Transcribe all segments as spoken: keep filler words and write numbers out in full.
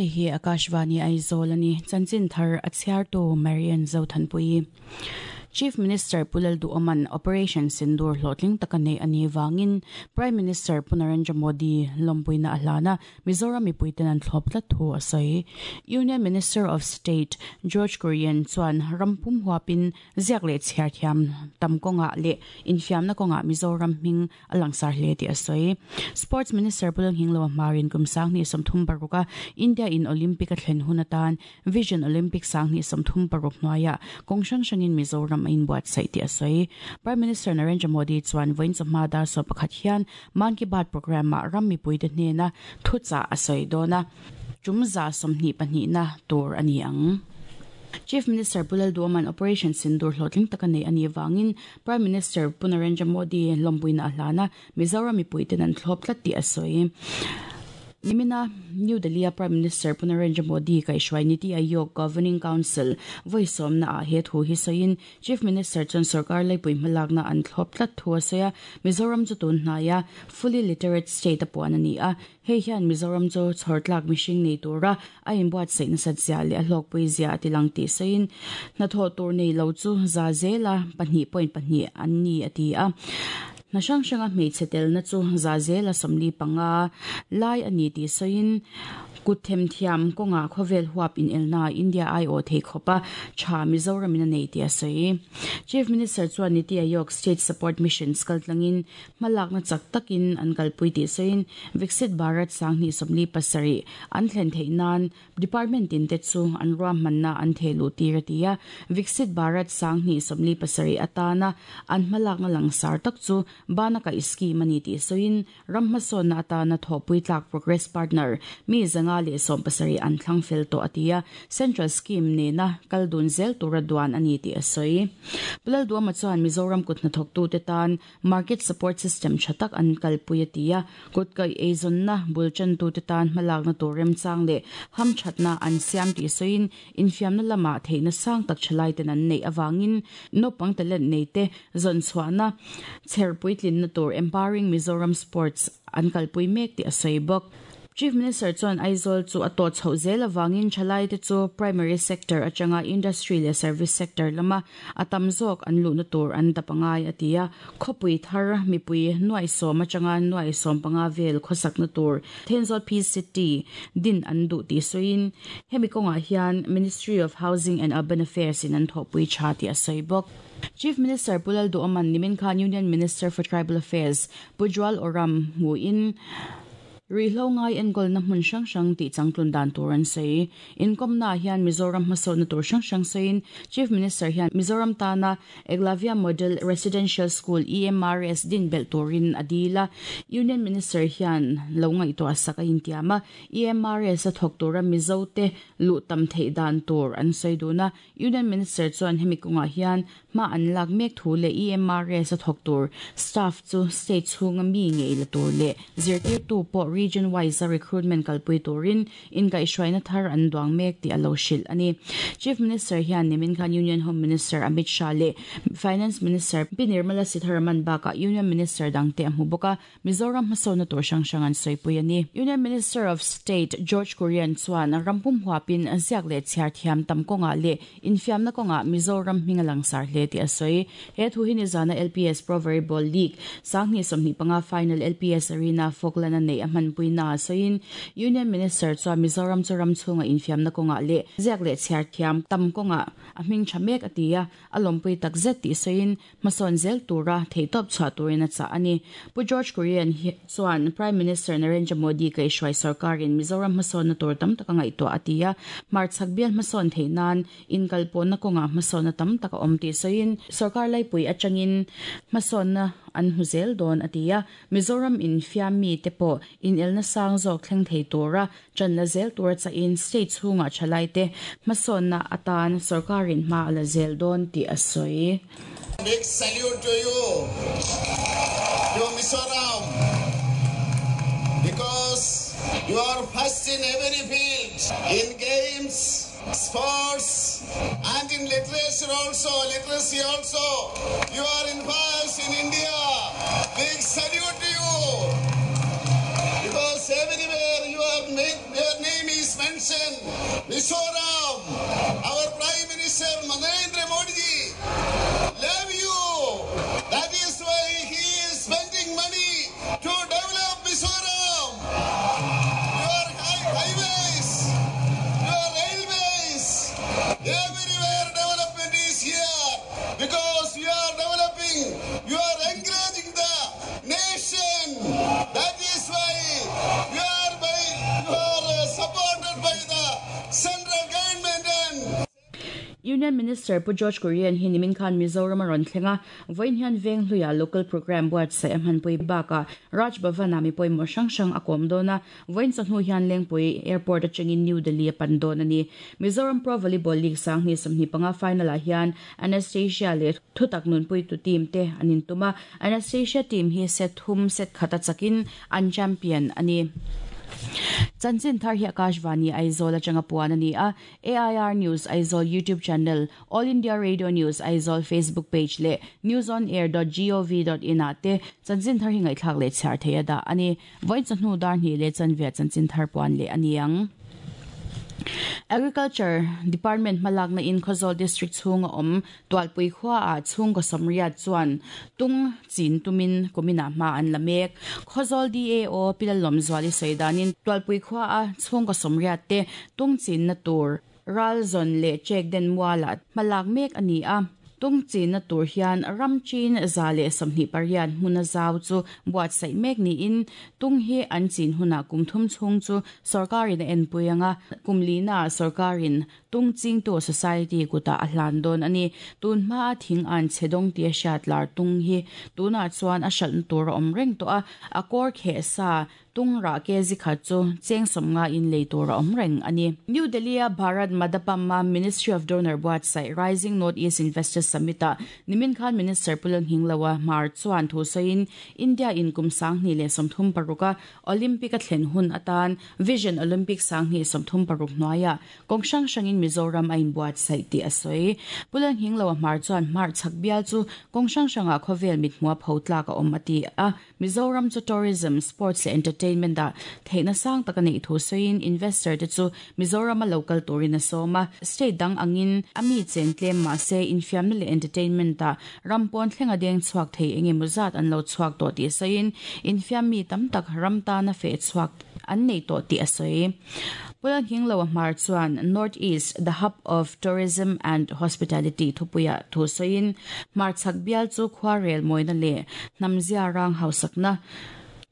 Hei hi Akashvani Aizawl ani chanchin thar a chhiar tu Marian Zothanpui. Chief Minister Pu Lalduhoma'n Operation Sindoor hlawhtling taka nei ani wangin Prime Minister Pu Narendra Modi lawmpuina a hlana Mizoram mipuiten an thlawp tlat thu a sawi. Union Minister of State George Kurian chuan rampum huapin ziak leh chhiar thiam tam kawnga leh infiamna kawnga Mizoram hming a langsar hle tih a sawi. Sports Minister Pu Lalnghinglova Hmarin kum sang hnih sawmthum paruka India in Olympic a thlen hun atan Vision Olympic sang hnih sawmthum paruk hnuaiah kawng hrang hrangin Mizoram in buat sai ti a sawi. Prime Minister Narendra Modi chuan vawiin chawhma dar sawm pakhat hian Man Ki Baat program ah ram mipuite hnena thuchah a sawi dawn a, tum za sawmhnih pahnih na tur a ni ang. Chief Minister Pu Lalduhoma'n Operation Sindoor hlawhtling taka nei ani wangin Prime Minister Pu Narendra Modi lawmpuina a hlana Mizoram mipuiten an thlawp tlat tih a sawi. Nimina New Delhi Prime Minister Pu Narendra Modi kaihhruai Niti Aayog Governing Council vawisawmna ah he thu hi sawiin Chief Minister chuan sarkar laipui hmalakna an thlawp tlat thu a sawi a, Mizoram chu tun hnaia fully literate state a puan ani a, hei hian Mizoram chu chhawrtlak mihring nei tura a inbuat saih nasat zia leh a hlawkpui zia a tilang tih sawiin hnathawh tur nei lo chu za zela pahnih point pahnih an ni a ti a. Na hrang hranga hmeichhe telna chu za zela sawmli panga lai ani tih sawiin kut them thiam kawnga khawvel huap in elna India ai aw thei khawpa tha Mizoram in a nei tih a sawi. Chief Minister chuan Niti Aayog State Support Mission kaltlangin hmalakna chak takin an kalpui tih sawiin Viksit Bharat sang hnih sawmli pasarih an thlen theih nan department in te chu an ruahmanna an thehluh tir a ti a, Viksit Bharat sang hnih sawmli pasarih atana an hmalakna langsar tak chu banaka scheme ani tih sawiin ram hmasawnna atana thawhpui tlak progress partner mi zanga leh sawm pasarih an thlang fel tawh a ti a, central scheme nena kal dun zel tura duan ani tih a sawi. Pu Lalduhoma chuan Mizoram kut hnathawktu te tan market support system tha tak an kalpui a ti a, kut kai eizawnna bulchantu te tan hmalakna tur remchang leh ham thatna an siam tih sawiin infiamna lamah theihna sang tak thalai ten an neih awangin naupang talent nei te zawn chhuahna chherpui tlinna tur Empowering Mizoram Sports an kalpui mek tih a sawi bawk. Chief Minister chuan Aizawl chu a tawh chhoh zel awangin thalai te chu primary sector atanga industry leh service sector lama a tam zawk an luhna tur an dapangai a ti a, khawpui thar mipui nuai sawm atanga nuai sawm panga vel khawsakna tur Thenzawl P City din an duh tih sawiin hemi kawngah hian Ministry of Housing and Urban Affairs in an thawhpui tha tih a sawi bawk. Chief Minister Pu Lalduhoma'n nimin khan Union Minister for Tribal Affairs Pu Jual Oram hmuin Rihlo ngai enkawl na hmun hrang hrang tih changtlun dan tur an sawi. Inkawmna hian Mizoram hmasawnna tur hrang hrang sawiin Chief Minister hian Mizoram tana Eklavya Model Residential School E M R S din belh turin a dil a. Union Minister hian lo ngaihtuah sak a intiam a, E M R S a thawk tura Mizo te luh tam theih dan tur an sawi dun a. Union Minister chuan hemi kawngah hian hma an lak mek thu leh E M R S a thawk tur staff chu state chhunga mi ngei la tur leh zirtirtu pawh region wise a recruitment kalpui turin in kaihhruaina thar an duang mek tih a lo hrilh ani. Chief Minister hian nimin khan Union Home Minister Amit Shah leh Finance Minister P Nirmala Sitharaman bakah Union Minister dangte a hmu bawk a, Mizoram hmasawnna tur hrang hrang an sawipui ani. Union Minister of State George Kurian chuan rampum huapin ziak leh chhiar thiam tam kawnga leh infiamna kawnga Mizoram hming a langsar hle tih a sawi. He thu hi nizana L P S Pro Volleyball League sang hnih sawmhnih panga final L P S Arena Falkland a nei a hmanpuina a sawiin Union Minister chuan Mizoram chu ram chhunga infiamna kawnga leh ziak leh chhiar thiam tam kawnga a hming tha mek a ti a, a lawmpui tak zet tih sawiin hmasawn zel tura theihtawp chhuah turin a chah ani. Pu George Kurian chuan Prime Minister Narendra Modi kaihhruai sarkarin Mizoram hmasawnna tur tam taka ngaihtuah a ti a, hmarchhak bial hmasawn theih nan inkalpawhna kawnga hmasawnna tam taka awm tih sawiin sarkar laipui atangin hmasawnna an hmu zel dawn a ti a, Mizoram infiam mi te pawh in elna sang zawk thleng thei tura channa zel tura chahin state chhunga thalai te hmasawnna atan sarkarin hma a la zel dawn tih a sawi. Big salute to you, to Mizoram, because you are first in every field, in games, sports, and in literature also, literacy also. You are in first in India. Big salute to you. Because everywhere you are, your name is mentioned. Union Minister Pu George Kurian hi nimin khan Mizoram a rawn thleng a, vawiin hian Venghluia local programme buatsaih a hmanpui bakah Raj Bhavan-ah mi pawimawh hrang hrang a kawm dawn a, vawiin chawhnu hian Lengpui Airport atangin New Delhi a pan dawn a ni. Mizoram Pro Volleyball League sanghnih sawmhnih panga final-ah hian Anastasia leh Thutak nunpuitu team te an intum a, Anastasia team hi set thum set khat a chakin an champion a ni. Chanchin thar hi Akashvani Aizawl atanga puan a ni a, A I R News Aizawl YouTube channel, All India Radio News Aizawl Facebook page leh newsonair dot gov dot in ah te chanchin thar hi ngaihthlak leh chhiar thei a dah a ni. Vawiin chawhnu dar hnih leh chanve chanchin thar puan leh a ni ang. Agriculture Department hmalakna in Khawzawl District chhunga awm Tualpui khua ah chhung ka sawmriat chuan tung chin tumin kumina hma an la mek. Khawzawl D A O Pilalawm Zuali sawidanin Tualpui khua a chhung ka sawmriat te tung chin na tur ral zawn leh chek den muala hmalak mek ani a. Tung chin na tur hian ram chin za leh sawmhnih pariat hmun a zau chu buatsaih mek niin tung hi an chin huna kum thum chhung chu sarkarin a enpui anga kumlina sarkarin tung ching tu society kuta a hlan dawn ani. Tun hma a thing an chhedawng tia hriat lar tung hi tuna chuan a hralh tur a awm reng tawh a, a kawr kheh sa tung ra ke zi khat chu cheng sawmnga in lei tur a awm reng ani. New Delhi a Bharat Mandapam Ministry of Donor buatsaih Rising North East Investors Summit a nimin khan Minister Pulang Hinglawa Hmar chuan thu sawiin India in kum sanghnih leh sawmthum paruka Olympic a thlen hun atan Vision Olympic sanghnih sawmthum paruk hnuaia kawng hrang hrangin Mizoram a inbuatsaih tih a sawi. Pulang Hinglawa Hmar chuan Hmar chhak bial chu kawng hrang hrangah khawvel mit hmuah pho tlak a awm a ti a. Mizoram chu tourism, sports leh entertainment a theihna sang taka nei thu sawiin investor te chu Mizoram a local turin a sawm a, state dang angin ami chen tlem ma se infiamna leh entertainment a rampawn thlenga deng chhuak thei enge muzat an lo chhuak tawh tih sawiin infiam mi tam tak ram tana fe chhuak an nei tawh tih a sawi. Pulang Hinglawa Hmar chuan North East, the hub of tourism and hospitality thupuia thu sawiin Hmar chhak bial chu khuarel mawina leh hnamzia rang hausakna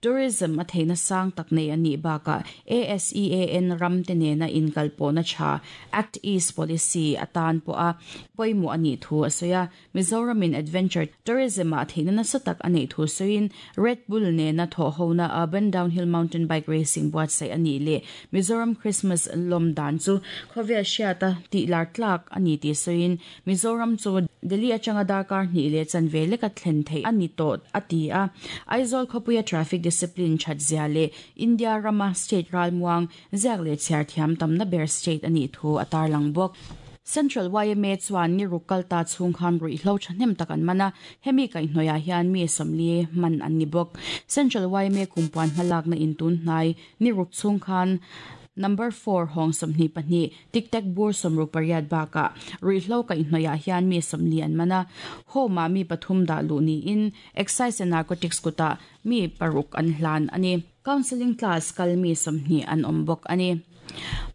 tourism a theihna sang tak nei ani baka A S E A N ram te nena inkalpawhna tha Act East policy atan pawh a pawimawh ani thu a sawi a. Mizoram in adventure tourism a theihna nasa tak anei thu sawiin Red Bull nena thawhhona urban downhill mountain bike racing buatsaih ani leh Mizoram Christmas lawm dan chu khawvel hriata tih lar tlak ani tih sawiin Mizoram chu Delhi atanga darkar hnih leh chanve leka thlen thei ani tawh a ti a. Aizawl khawpuia traffic discipline thatzia leh India rama state ralmuang ziak leh chhiar thiam tamna ber state ani thu a tarlang bawk. Central Y M A chuan ni ruk ta chhung khan ruihhlo thahnem tak an mana hemi kaihhnawih ah hian mi sawmli man an ni bawk. Central Y M A kumpuan hmalakna in tun hnai ni ruk chhung khan number four hong sawmhnih pahnih tic tac bur sawmruk pariat bakah ruihhlo kaihhnawih ah hian mi sawmli an mana home ah mi pathum dah luh niin excise and narcotics kutah mi paruk an hlan ani. Counseling class kal mi sawmhnih an awm bawk ani.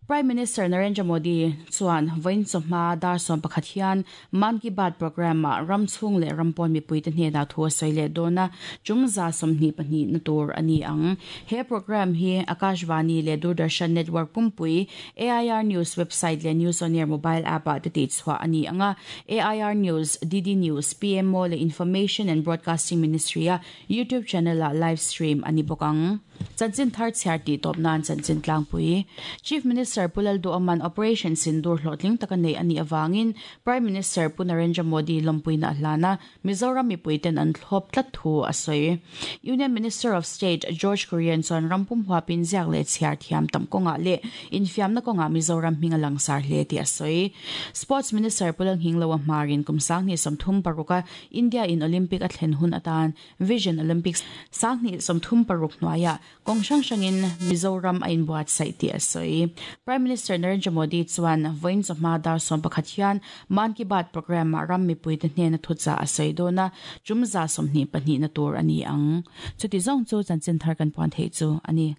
Prime Minister Narendra Modi chuan vawiin chawhma dar sawm pakhat hian Mann Ki Baat program ah ram chhung leh rampawn mipui te hnenah thu a sawi leh dawn a, chungza sawmhnih pahnih na tur ani ang. He program hi Akashvani leh Doordarshan Network pumpui A I R News website leh News on Air mobile app ah te tih chhuah ani anga. A I R News, D D News, P M O leh Information and Broadcasting Ministry a YouTube channel ah live stream ani bawk ang. Chanchin thar chhiar tih tawp nan chanchin tlangpui. Chief Minister Pulal Duaman Operation Sindoor hlawhtling taka nei ani awangin Prime Minister Pu Narendra Modi lawmpuina a hlana Mizoram mipuiten an thlawp tlat thu a sawi. Union Minister of State George Kurian chuan rampum huapin ziak leh chhiar thiam tam kawngah leh infiamna kawngah Mizoram hming a langsar hle tih a sawi. Sports Minister Pulang Hinglawa Hmarin kum sanghnih sawmthum paruka India in Olympic a thlen hun atan Vision Olympics sanghnih sawmthum paruk hnuaia kawng hrang hrangin Mizoram a inbuatsaih tih a sawi. Prime Minister Narendra Modi chuan vawiin chawhma dar sawm pakhat hian Mann Ki Baat program ah ram mipui te hnena thucha a sawi dawn a, chumza sawmhnih pahnih na tur ani ang. Chuti zawng chu chanchin thar kan puan theih chu ani.